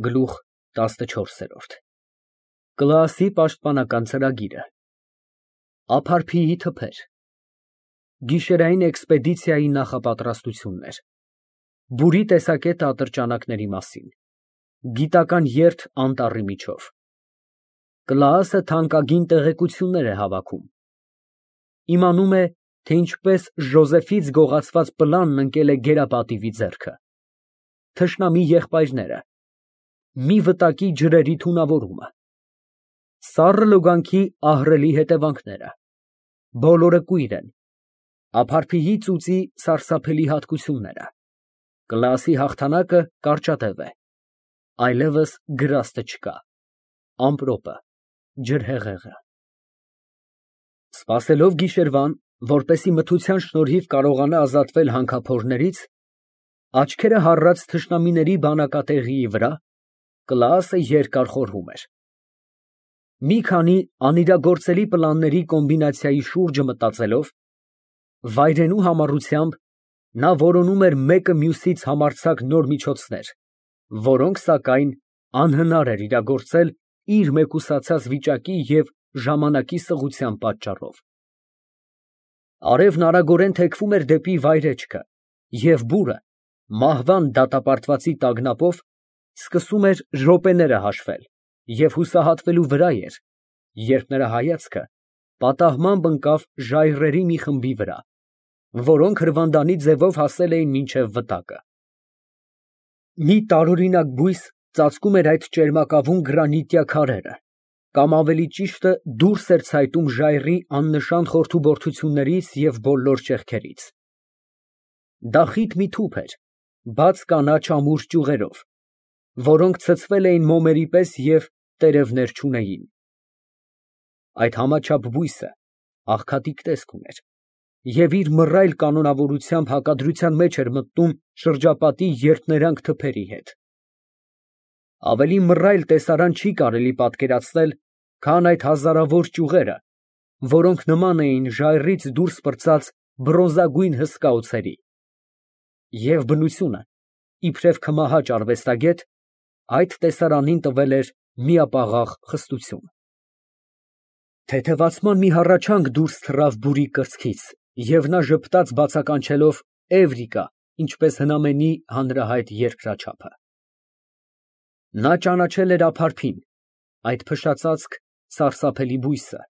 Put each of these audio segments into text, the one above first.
Գլուխ 14 Կլասի պաշտպանական ծրագիրը Ափարփիի թփեր Գիշերային էքսպեդիցիայի նախապատրաստություններ Բուրի տեսակետը ատրճանակների մասին Գիտական երթ անտառի միջով Կլասը թանկագին տեղեկություններ է հավաքում Իմանում է, թե ինչպես Ժոզեֆից գողացված պլանն ընկել է գերապատիվի ձեռքը Թշնամի եղբայրները Մի վտակի ջրերի թունավորումը Սառը լոգանքի ահռելի հետևանքները Բոլորը կույր են Ափարփիի ծուծի սարսափելի հատկությունները Կլասի հաղթանակը կարճատև է Այլևս գրաստը չկա Ամպրոպը Ջրհեղեղը Սպասելով գիշերվան, որպեսզի մթության շնորհիվ կարողանա ազատվել հանքափորներից, աչքերը հառած թշնամիների բանակատեղիի վրա, Կլասը երկար խորհում էր։ Մի քանի անիրագործելի պլանների կոմբինացիայի շուրջը մտածելով, վայրենու համառությամբ նա որոնում էր մեկը մյուսից համարձակ նոր միջոցներ, որոնք, սակայն, անհնար էր իրագործել իր մեկուսացած վիճակի և ժամանակի սղության պատճառով։ Արևն արագորեն թեքվում էր դեպի վայրեջքը, և բուրը, մահվան դատապարտվածի տագնապով, սկսում էր րոպեները հաշվել և հուսահատվելու վրա էր, երբ նրա հայացքը պատահմամբ ընկավ ժայռերի մի խմբի վրա, որոնք հրվանդանի ձևով հասել էին մինչև վտակը։ Մի տարօրինակ բույս ծածկում էր այդ ճերմակավուն գրանիտյա քարերը, կամ ավելի ճիշտը դուրս էր ցայտում ժայռի աննշան խորթուբորդություններից և բոլոր ճեղքերից։ Դա խիտ մի թուփ էր, բաց կանաչ ամուր ճյուղերով, որոնք ցցվել էին մոմերի պես և տերևներ չունեին։ Այդ համաչափ բույսը աղքատիկ տեսք ուներ և իր մռայլ կանոնավորությամբ հակադրության մեջ էր մտնում շրջապատի երթներանգ թփերի հետ։ Ավելի մռայլ տեսարան չի կարելի պատկերացնել, քան այդ հազարավոր ճյուղերը, որոնք նման էին ժայռից դուրս պրծած բրոնզագույն հսկա օձերի։ Եվ բնությունը, իբրև քմահաճ արվեստագետ, այդ տեսարանին տվել էր միապաղաղ խստություն։ Թեթևացման մի հառաչանք դուրս թռավ բուրի կրծքից, և նա ժպտաց բացականչելով Էվրիկա, ինչպես հնամենի հանրահայտ երկրաչափը։ Նա ճանաչել էր ափարփին, այդ փշացածկ, սարսափելի բույսը,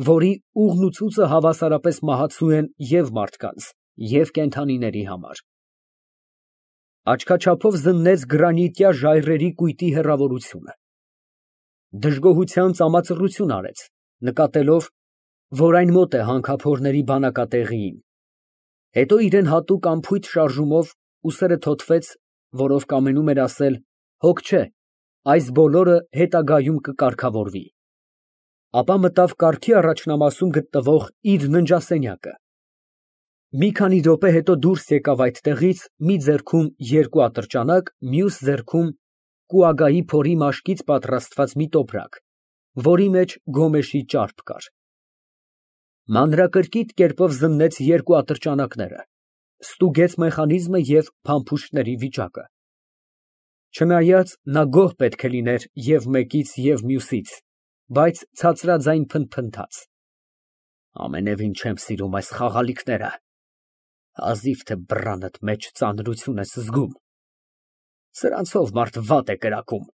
որի ուղն ու ցուծը հավասարապես մահացու են և մարդկանց, և կենդանիների համար։ Աչքաչափով զննեց գրանիտյա ժայռերի կույտի հեռավորությունը։ Դժգոհության ծամածռություն արեց, նկատելով, որ այն մոտ է հանքափորների բանակատեղիին, հետո իրան հատուկ անփույթ շարժումով ուսերը թոթվեց, որով կամենում էր ասել. հոգ չէ, այս բոլորը հետագայում կկարգավորվի, ապա մտավ կառքի առաջնամասում գտնվող իր ննջասենյակը։ Մի քանի րոպե հետո դուրս եկավ այդտեղից մի ձեռքում երկու ատրճանակ, մյուս ձեռքում կուագայի փորի մաշկից պատրաստված մի տոպրակ, որի մեջ գոմեշի ճարպ կար։ Մանրակրկիտ կերպով զննեց երկու ատրճանակները, ստուգեց մեխանիզմը և փամփուշտների վիճակը։ Չնայած նա գոհ պետք է լիներ և մեկից, և մյուսից, բայց ցածրաձայն փնթփնթաց. Ամենևին չեմ սիրում այս խաղալիքները, հազիվ թե բռանդ մեջ ծանրություն ես զգում, սրանցով մարդ վատ է կրակում,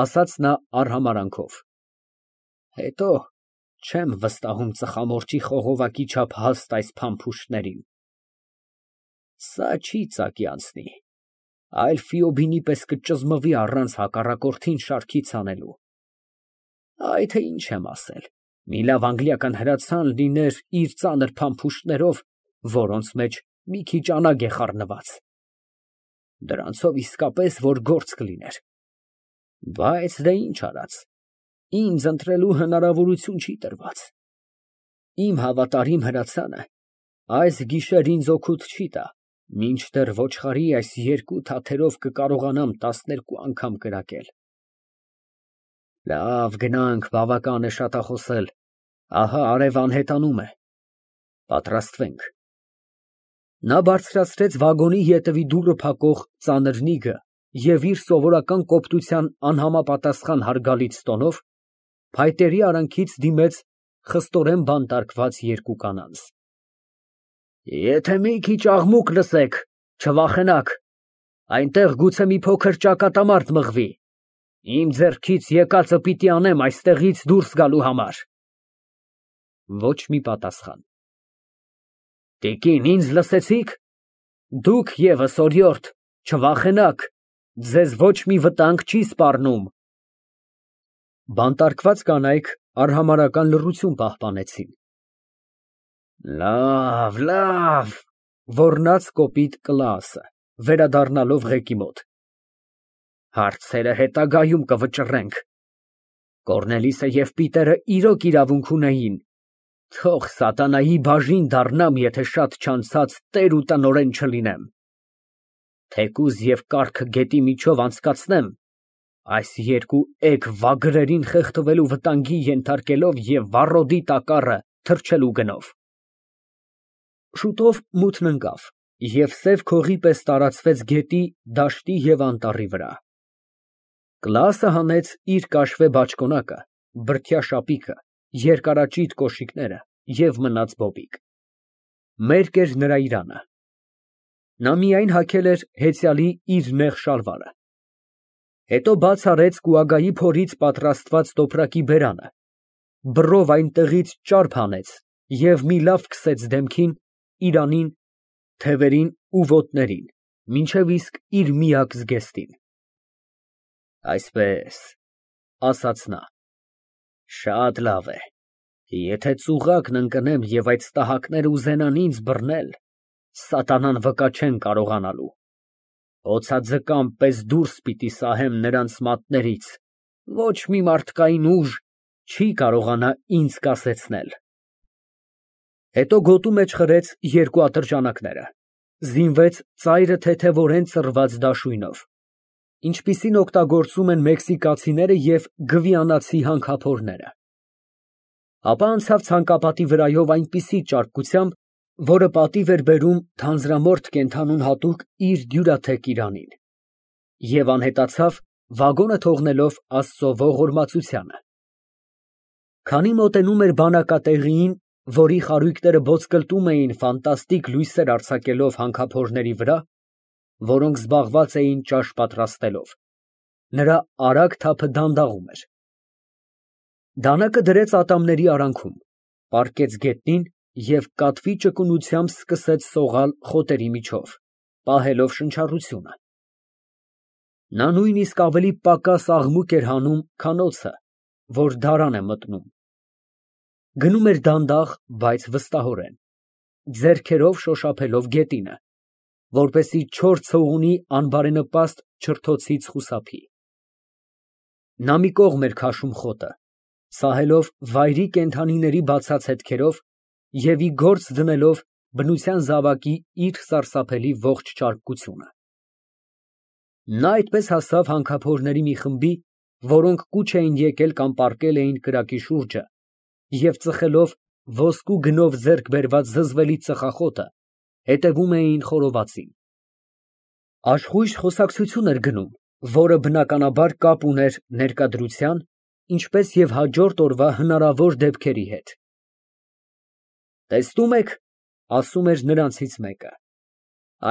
ասաց նա արհամարհանքով, հետո չեմ վստահում ծխամորճի խողովակի չափ հաստ այս փամփուշտներին, սա չի ծակի անցնի, այլ Ֆիոբինի պես կճզմվի առանց հակառակորդին շարքից հանելու, այ թե ինչ եմ ասել, մի լավ անգլիական հրացան լիներ իր ծանր փամփուշտներով, որոնց մեջ մի քիչ անագ է խառնված, դրանցով իսկապես որ գործ կլիներ, բայց դե ինչ արած, ինձ ընտրելու հնարավորություն չի տրված, իմ հավատարիմ հրացանը այս գիշեր ինձ օգուտ չի տա, մինչդեռ ոչխարի այս երկու թաթերով կկարողանամ 12 անգամ կրակել։ Լավ, գնանք, բավական է շատախոսել, ահա արև անհետանում է, պատրաստվենք։ Նա բարձրացրեց վագոնի ետևի դուռը փակող ծանր նիգը և իր սովորական կոպտության անհամապատասխան հարգալից տոնով փայտերի արանքից դիմեց խստորեն բանտարկված երկու կանանց։ Եթե մի քիչ աղմուկ լսեք, չվախենաք, այնտեղ գուցե մի փոքր ճակատամարտ մղվի, իմ ձեռքից եկածը պիտի անեմ այստեղից դուրս գալու համար։ Ոչ մի պատասխան։ Տիկին, ինձ լսեցի՞ք։ Դուք ևս օրիորդ, չվախենաք, ձեզ ոչ մի վտանգ չի սպառնում։ Բանտարկված կանայք արհամարհական լռություն պահպանեցին։ Լավ, լավ, ոռնաց կոպիտ Կլաասը, վերադառնալով ղեկի մոտ։ Հարցերը հետագայում կվճռենք։ Կոռնելիսը և Պիտերը իրոք իրավունք ունեին։ Թող սատանայի բաժին դառնամ, եթե շատ չանցած տեր ու տնօրեն չլինեմ։ Թեկուզ և կառքը գետի միջով անցկացնեմ, այս երկու էգ վագրերին խեղդվելու վտանգի ենթարկելով և վառոդի տակառը թռչելու գնով։ Շուտով մութն ընկավ, և սև քողի պես տարածվեց գետի, դաշտի և անտառի վրա։ Կլաասը հանեց իր կաշվե բաճկոնակը, բրդյա շապիկը, երկարաճիտ կոշիկները և մնաց բոբիկ։ Մերկ էր նրա իրանը։ Նա միայն հագել էր հեծյալի իր նեղ շալվարը։ Հետո բաց արեց կուագայի փորից պատրաստված տոպրակի բերանը, բռով այնտեղից ճարփ հանեց և մի լավ քսեց դեմքին, իրանին, թևերին ու ոտներին, մինչև իսկ իր միակ զգեստին։ Այսպես, ասաց նա, շատ լավ է, եթե ծուղակն ընկնեմ և այդ ստահակները ուզենան ինձ բռնել, սատանան վկա չեն կարողանալու, օձաձկան պես դուրս պիտի սահեմ նրանց մատներից, ոչ մի մարդկային ուժ չի կարողանա ինձ կասեցնել։ Հետո գոտու մեջ խրեց երկու ատրճանակները, զինվեց ծայրը թեթևորեն ծռված դաշույնով, ինչպիսին օգտագործում են մեքսիկացիները և գվիանացի հանքափորները։ Ապա անցավ ցանկապատի վրայով այնպիսի ճարպկությամբ, որը պատիվ էր բերում թանձրամորթ կենդանուն հատուկ իր դյուրաթեք իրանին, և անհետացավ, վագոնը թողնելով Աստծո ողորմածությանը։ Քանի մոտենում էր բանակատեղիին, որի խարույկները ոսկլտում էին ֆանտաստիկ լույսեր արձակելով հանքափորների վրա, որոնք զբաղված էին ճաշ պատրաստելով, նրա արագ թափը դանդաղում էր։ Դանակը դրեց ատամների արանքում, պառկեց գետնին և կատվի ճկունությամբ սկսեց սողալ խոտերի միջով, պահելով շնչառությունը։ Նա նույնիսկ ավելի պակաս աղմուկ էր հանում, քան օձը, որ դարան է մտնում։ Գնում էր դանդաղ, բայց վստահորեն, ձեռքերով շոշափելով գետինը, որպեսզի չոր ցողունի անբարենպաստ չրթոցից խուսափի։ Նա մի կողմ էր քաշում խոտը, սահելով վայրի կենդանիների բացած հետքերով և ի գործ դնելով բնության զավակի իր սարսափելի ողջ ճարպկությունը։ Նա այդպես հասավ հանքափորների մի խմբի, որոնք կուչ էին եկել կամ պառկել էին կրակի շուրջը և ծխելով ոսկու գնով ձեռք բերված զզվելի ծխախոտը, հետևում էին խորովածին։ Աշխույժ խոսակցություն էր գնում, որը բնականաբար կապ ուներ ներկայության, ինչպես և հաջորդ օրվա հնարավոր դեպքերի հետ։ Տեսնում եք, ասում էր նրանցից մեկը,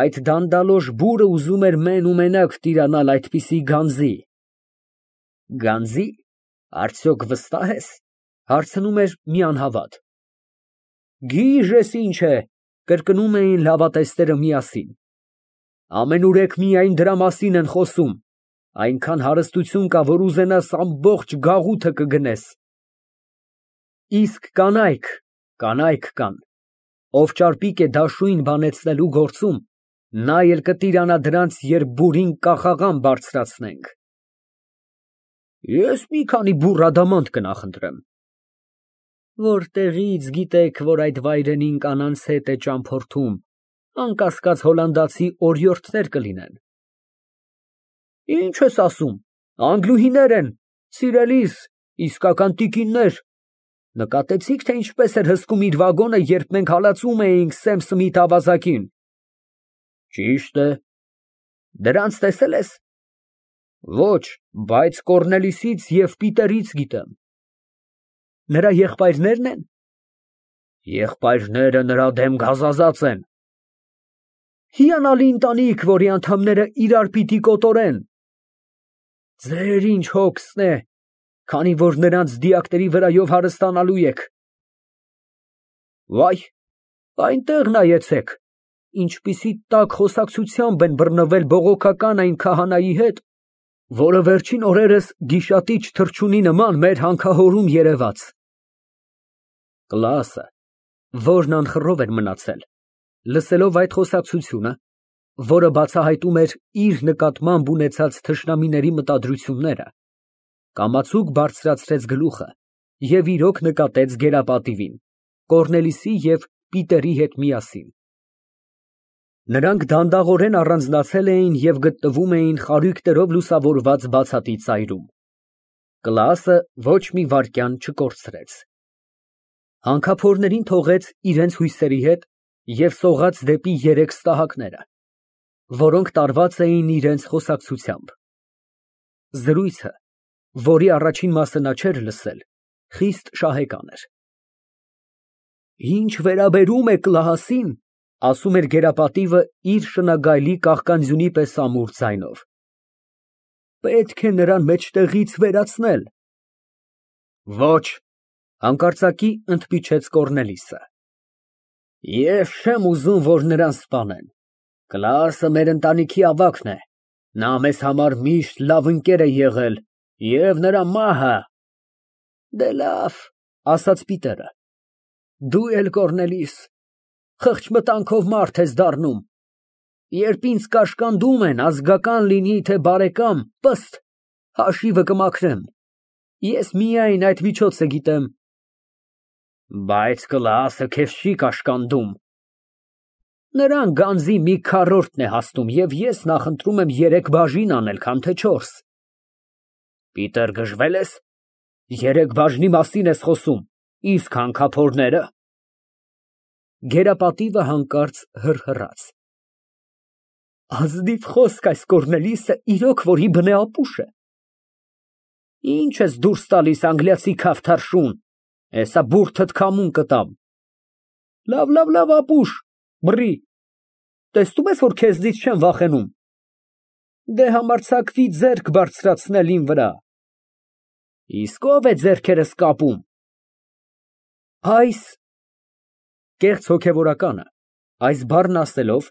այդ դանդալոշ բուրը ուզում էր մեն ու մենակ տիրանալ այդպիսի գանձի։ Գանձի, արդյոք վստահ ես, հարցնում էր մի անհավատ։ Գիժես ինչ է, կրկնում էին լավատեսները միասին։ Ամենուրեք միայն դրա մասին են խոսում, այնքան հարստություն կա, որ ուզենաս ամբողջ գաղութը կգնես։ Իսկ կանայք կան, ով ճարպիկ է դաշույն բանեցնելու գործում, նա էլ կտիրանա դրանց, երբ բուրին կախաղան բարձրացնենք։ Ես մի քանի բուռ ադամանդ կնախընտրեմ։ Որտեղի՞ց գիտեք, որ այդ վայրենին կանանց հետ է ճամփորդում, անկասկած հոլանդացի օրիորդներ կլինեն։ Ինչ ես ասում, անգլուհիներ են, սիրելիս, իսկական տիկիններ։ Նկատեցի՞ք, թե ինչպես էր հսկում իր վագոնը, երբ մենք հալածում էինք Սեմ Սմիթ ավազակին։ Ճիշտ է։ Դրանց տեսե՞լ ես։ Ոչ, բայց Կոռնելիսից և Պիտերից գիտեմ։ Նրա եղբայրնե՞րն են։ Եղբայրները նրա դեմ գազազած են։ Հիանալի ընտանիք, որի անդամները իրար պիտի կոտորեն։ Ձեր ինչ հոգսն է, քանի որ նրանց դիակների վրայով հարստանալու եք։ Վայ, այնտեղ նայեցեք, ինչպիսի տաք խոսակցությամբ են բռնվել բողոքական այն քահանայի հետ, որը վերջին օրերս գիշատիչ թռչունի նման մեր հանքահորում երևաց։ Կլասը, որն անխռով էր մնացել, լսելով այդ խոսակցությունը, որը բացահայտում էր իր նկատմամբ ունեցած թշնամիների մտադրությունները, կամացուկ բարձրացրեց գլուխը և իրոք նկատեց գերապատիվին, Կոռնելիսի և Պիտերի հետ միասին։ Նրանք դանդաղորեն առանձնացել էին և գտնվում էին խարույկներով լուսավորված բացատի ծայրում։ Կլասը ոչ մի վայրկյան չկորցրեց։ Հանքափորներին թողեց իրենց հույսերի հետ և սողաց դեպի երեք ստահակները, որոնք տարված էին իրենց խոսակցությամբ։ Զրույցը, որի առաջին մասը նա չէր լսել, խիստ շահեկան էր։ Ինչ վերաբերում է Կլահասին, ասում էր գերապատիվը իր շնագայլի կաղկանձյունի պես ամուր ձայնով, պետք է նրան մեջտեղից վերացնել։ Ոչ, հանկարծակի ընդմիջեց Կոռնելիսը։ Ես չեմ ուզում, որ նրան սպանեն։ Կլասը մեր ընտանիքի ավագն է, նա մեզ համար միշտ լավ ընկեր է եղել և նրա մահը… Դե լավ, ասաց Պիտերը, դու էլ Կոռնելիս, խղճ մտանքով մարդ ես դառնում, երբ ինձ կաշկանդում են, ազգական լինի, թե բարեկամ, պստ, հաշիվը կմաքրեմ, ես միայն այդ միջոցը գիտեմ։ Բայց Կլասը քեզ չի կաշկանդում։ Նրան գանձի մի քառորդն է հասնում և ես նախընտրում եմ 3 բաժին անել, քան թե 4։ Պիտեր, գժվել ես։ 3 բաժնի մասին ես խոսում, իսկ հանքափորները… Գերապատիվը հանկարծ հռհռաց։ Ազնիվ խոսք այս Կոռնելիսը իրոք որ ի բնե ապուշ է։ Ինչ ես դուրս տալիս անգլիացի քավթարշուն, հեսա բուրդդ քամուն կտամ։ Լավ, ապուշ, բռի, տեսնում ես, որ քեզնից չեմ վախենում։ Դե համարձակվի ձեռք բարձրացնել իմ վրա։ Իսկ ո՞վ է ձեռքերս կապում։ Այս… Կեղծ հոգևորականը, այս բառն ասելով,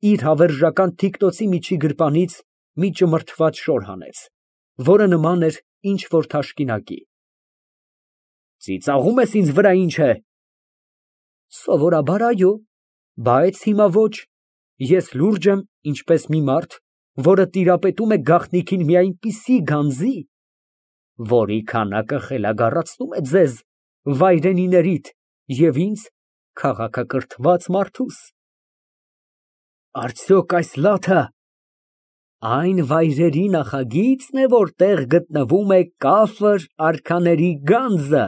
իր հավերժական թիկնոցի միջի գրպանից մի ճմրթված շոր հանեց, որը նման էր ինչ֊որ թաշկինակի։ Ծիծաղում ես ինձ վրա, ինչ է։ Սովորաբար այո, բայց հիմա ոչ, ես լուրջ եմ, ինչպես մի մարդ, որը տիրապետում է գաղտնիքին մի այնպիսի գանձի, որի քանակը խելագարացնում է ձեզ, վայրենիներիդ, և ինձ, քաղաքակրթված մարդուս։ Արդյոք այս լաթը այն վայրերի նախագիծն է, որտեղ գտնվում է կաֆր արքաների գանձը։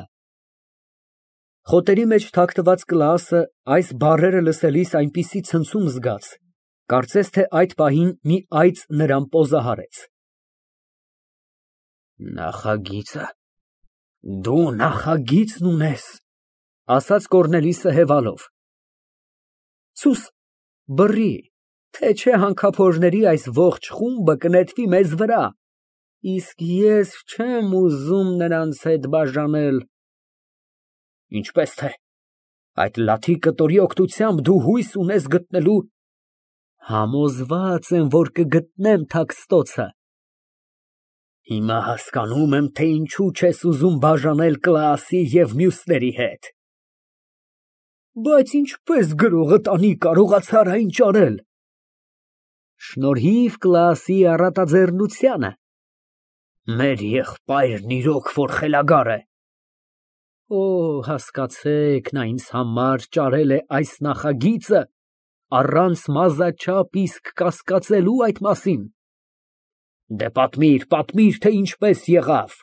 Խոտերի մեջ թաքնված Կլասը այս բառերը լսելիս այնպիսի ցնցում զգաց, կարծես թե այդ պահին մի այծ նրան պոզահարեց։ Նախագիծը… Դու նախագիծն ունես, ասաց Կոռնելիսը հևալով։ Սուս, բռի, թե չէ հանքափորների այս ողջ խումբը կնետվի մեզ վրա, իսկ ես չեմ ուզում նրանց հետ բաժանել։ Ինչպես թե, այդ լաթի կտորի օգնությամբ դու հույս ունես գտնելու… Համոզված եմ, որ կգտնեմ թաքստոցը։ Հիմա հասկանում եմ, թե ինչու չես ուզում բաժանել Կլասի և մյուսների հետ։ Բայց ինչպես գրողը տանի կարողացար այն ճարել։ Շնորհիվ Կլասի առատաձեռնությանը։ Մեր եղբայրն իրոք որ խելագար է։ Օ, հասկացեք, նա ինձ համար ճարել է այս նախագիծը, առանց մազաչափ իսկ կասկածելու այդ մասին։ Դե պատմիր, թե ինչպես եղավ։